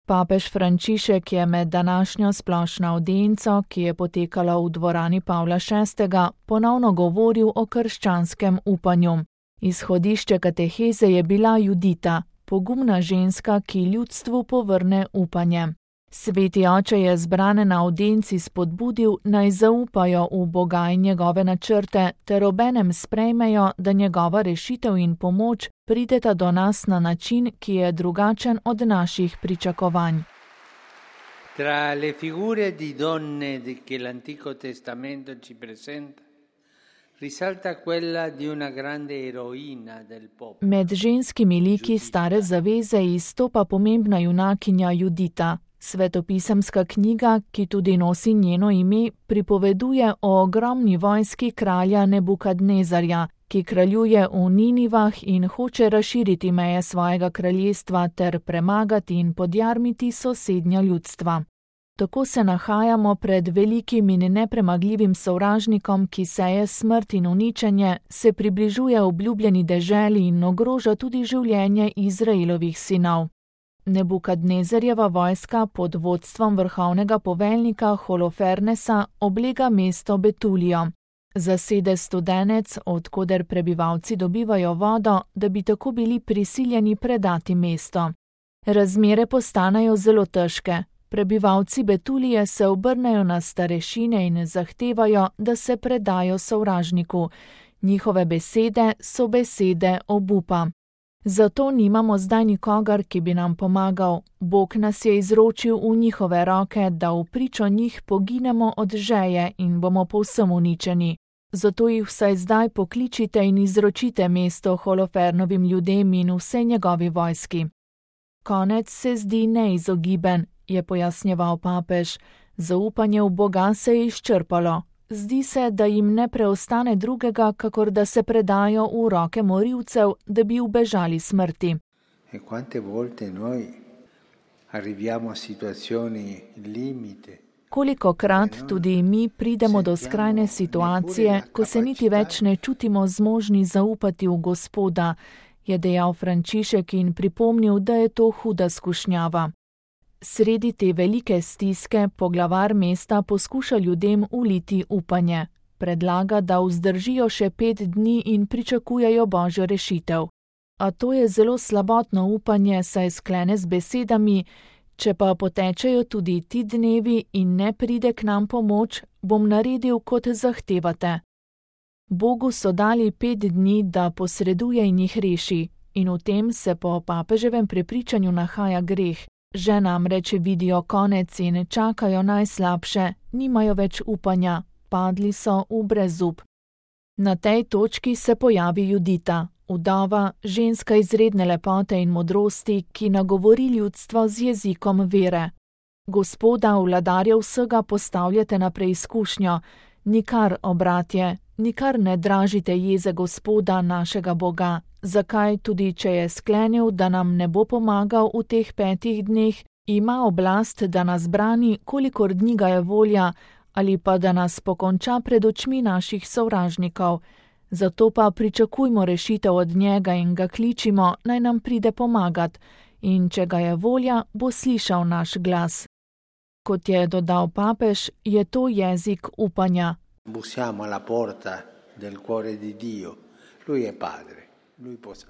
Papež Frančišek je med današnjo splošno avdienco, ki je potekala v dvorani Pavla VI., ponovno govoril o krščanskem upanju. Izhodišče kateheze je bila Judita, pogumna ženska, ki ljudstvu povrne upanje. Sveti oče je zbrane na avdienci spodbudil, naj zaupajo v Boga in njegove načrte, ter obenem sprejmejo, da njegova rešitev in pomoč prideta do nas na način, ki je drugačen od naših pričakovanj. Tra le figure di donne che l'Antico Testamento ci presenta, risalta quella di una grande eroina del popolo. Med ženskimi liki stare zaveze izstopa pomembna junakinja Judita. Svetopisemska knjiga, ki tudi nosi njeno ime, pripoveduje o ogromni vojski kralja Nebukadnezarja, ki kraljuje v Ninivah in hoče razširiti meje svojega kraljestva ter premagati in podjarmiti sosednja ljudstva. Tako se nahajamo pred velikim in nepremagljivim sovražnikom, ki seje smrt in uničenje, se približuje obljubljeni deželi in ogroža tudi življenje Izraelovih sinov. Nebukadnezarjeva vojska pod vodstvom vrhovnega poveljnika Holofernesa oblega mesto Betulijo. Zasede studenec, od koder prebivalci dobivajo vodo, da bi tako bili prisiljeni predati mesto. Razmere postanejo zelo težke. Prebivalci Betulije se obrnejo na starešine in zahtevajo, da se predajo sovražniku. Njihove besede so besede obupa. Zato nimamo zdaj nikogar, ki bi nam pomagal. Bog nas je izročil v njihove roke, da v pričo njih poginemo od žeje in bomo povsem uničeni. Zato jih vsaj zdaj pokličite in izročite mesto Holofernovim ljudem in vse njegovi vojski. Konec se zdi neizogiben, je pojasnjeval papež. Zaupanje v Boga se je izčrpalo. Zdi se, da jim ne preostane drugega, kakor da se predajo v roke morilcev, da bi ubežali smrti. E quante volte noi arriviamo a situazioni limite. Kolikokrat tudi mi pridemo do skrajne situacije, ko se niti več ne čutimo zmožni zaupati v Gospoda, je dejal Frančišek in pripomnil, da je to huda skušnjava. Sredi te velike stiske poglavar mesta poskuša ljudem uliti upanje. Predlaga, da vzdržijo še 5 dni in pričakujejo Božjo rešitev. A to je zelo slabotno upanje, saj sklene z besedami: če pa potečejo tudi ti dnevi in ne pride k nam pomoč, bom naredil, kot zahtevate. Bogu so dali 5 dni, da posreduje in jih reši, in v tem se po papeževem prepričanju nahaja greh. Že namreč vidijo konec in čakajo najslabše, nimajo več upanja, padli so v brezup. Na tej točki se pojavi Judita, vdova, ženska izredne lepote in modrosti, ki nagovori ljudstvo z jezikom vere. Gospoda, vladarja vsega, postavljate na preizkušnjo, nikar, obratje, nikar ne dražite jeze Gospoda, našega Boga. Zakaj, tudi če je sklenil, da nam ne bo pomagal v teh 5 dneh, ima oblast, da nas brani, kolikor dni ga je volja, ali pa da nas pokonča pred očmi naših sovražnikov. Zato pa pričakujmo rešitev od njega in ga kličimo, naj nam pride pomagat, in če ga je volja, bo slišal naš glas. Kot je dodal papež, je to jezik upanja. Bussiamo alla porta del cuore di Dio. Lui è padre.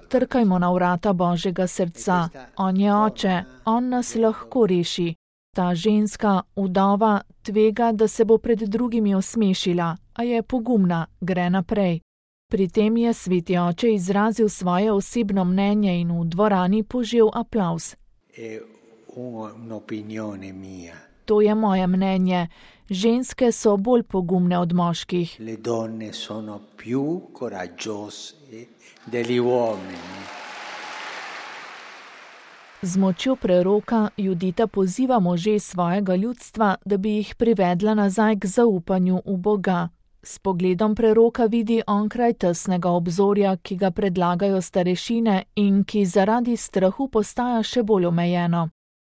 Trkajmo na vrata Božjega srca. On je oče, on nas lahko reši. Ta ženska, vdova, tvega, da se bo pred drugimi osmešila, a je pogumna, gre naprej. Pri tem je sveti oče izrazil svoje osebno mnenje in v dvorani požel aplavz. To je moje mnenje. Ženske so bolj pogumne od moških. Le donne sono più coraggiose degli uomini. Z močjo preroka Judita poziva može svojega ljudstva, da bi jih privedla nazaj k zaupanju v Boga. S pogledom preroka vidi onkraj tesnega obzorja, ki ga predlagajo starešine in ki zaradi strahu postaja še bolj omejeno.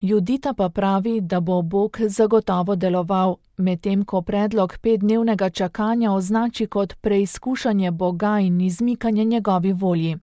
Judita pa pravi, da bo Bog zagotovo deloval, medtem ko predlog 5-dnevnega čakanja označi kot preizkušanje Boga in izmikanje njegovi volji.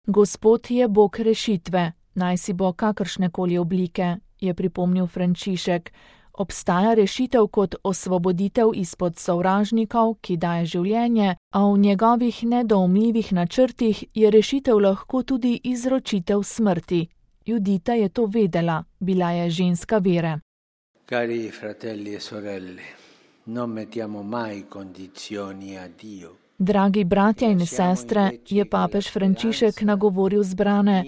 Gospod je Bog rešitve, naj si bo kakršnekoli oblike, je pripomnil Frančišek. Obstaja rešitev kot osvoboditev izpod sovražnikov, ki daje življenje, a v njegovih nedoumljivih načrtih je rešitev lahko tudi izročitev smrti. Judita je to vedela, bila je ženska vere. Cari fratelli e sorelle, non mettiamo mai condizioni a Dio. Dragi bratja in sestre, je papež Frančišek nagovoril zbrane,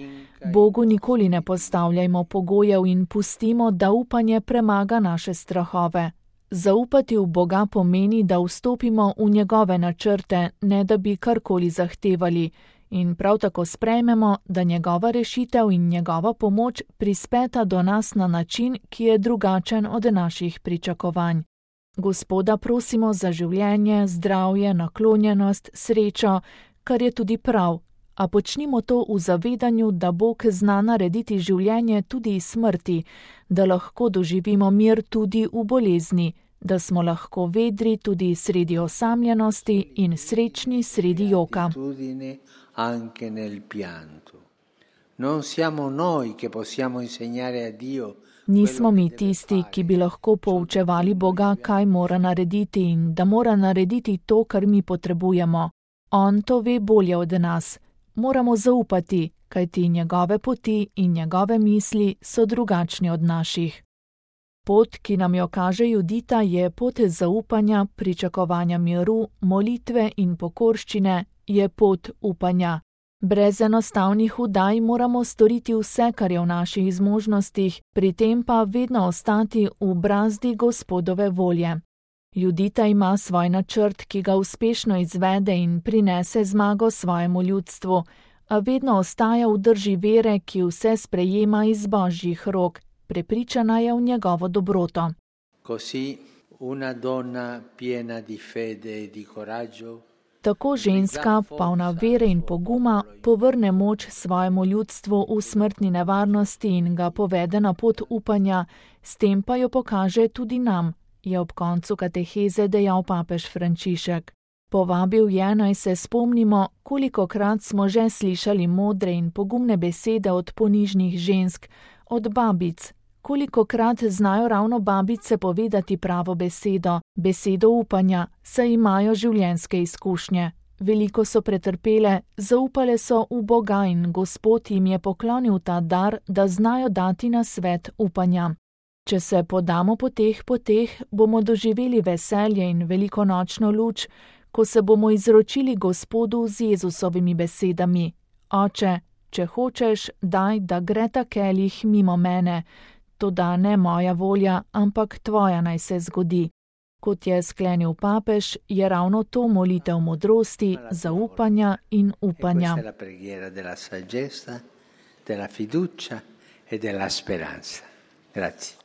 Bogu nikoli ne postavljajmo pogojev in pustimo, da upanje premaga naše strahove. Zaupati v Boga pomeni, da vstopimo v njegove načrte, ne da bi karkoli zahtevali, in prav tako sprejmemo, da njegova rešitev in njegova pomoč prispeta do nas na način, ki je drugačen od naših pričakovanj. Gospoda prosimo za življenje, zdravje, naklonjenost, srečo, kar je tudi prav, a počnimo to v zavedanju, da Bog zna narediti življenje tudi iz smrti, da lahko doživimo mir tudi v bolezni, da smo lahko vedri tudi sredi osamljenosti in srečni sredi joka. Anche nel pianto. Non siamo noi che possiamo insegnare a Dio. Nismo mi tisti, ki bi lahko poučevali Boga, kaj mora narediti in da mora narediti to, kar mi potrebujemo. On to ve bolje od nas. Moramo zaupati, kajti njegove poti in njegove misli so drugačni od naših. Pot, ki nam jo kaže Judita, je pot zaupanja, pričakovanja miru, molitve in pokorščine, je pot upanja. Brez enostavnih udaj moramo storiti vse, kar je v naših zmožnostih, pri tem pa vedno ostati v brazdi Gospodove volje. Judita ima svoj načrt, ki ga uspešno izvede in prinese zmago svojemu ljudstvu, a vedno ostaja v drži vere, ki vse sprejema iz Božjih rok, prepričana je v njegovo dobroto. Così una donna piena di fede e di coraggio. Tako ženska, polna vere in poguma, povrne moč svojemu ljudstvu v smrtni nevarnosti in ga povede na pot upanja, s tem pa jo pokaže tudi nam, je ob koncu kateheze dejal papež Frančišek. Povabil je, naj se spomnimo, kolikokrat smo že slišali modre in pogumne besede od ponižnih žensk, od babic. Kolikokrat znajo ravno babice povedati pravo besedo, besedo upanja, saj imajo življenjske izkušnje. Veliko so pretrpele, zaupale so v Boga in Gospod jim je poklonil ta dar, da znajo dati na svet upanja. Če se podamo po teh poteh, bomo doživeli veselje in velikonočno luč, ko se bomo izročili Gospodu z Jezusovimi besedami. Oče, če hočeš, daj, da gre ta kelih mimo mene, toda ne moja volja, ampak tvoja naj se zgodi. Kot je sklenil papež, je ravno to molitev modrosti, zaupanja in upanja. Questa è la preghiera della saggezza, della fiducia e della speranza. Grazie.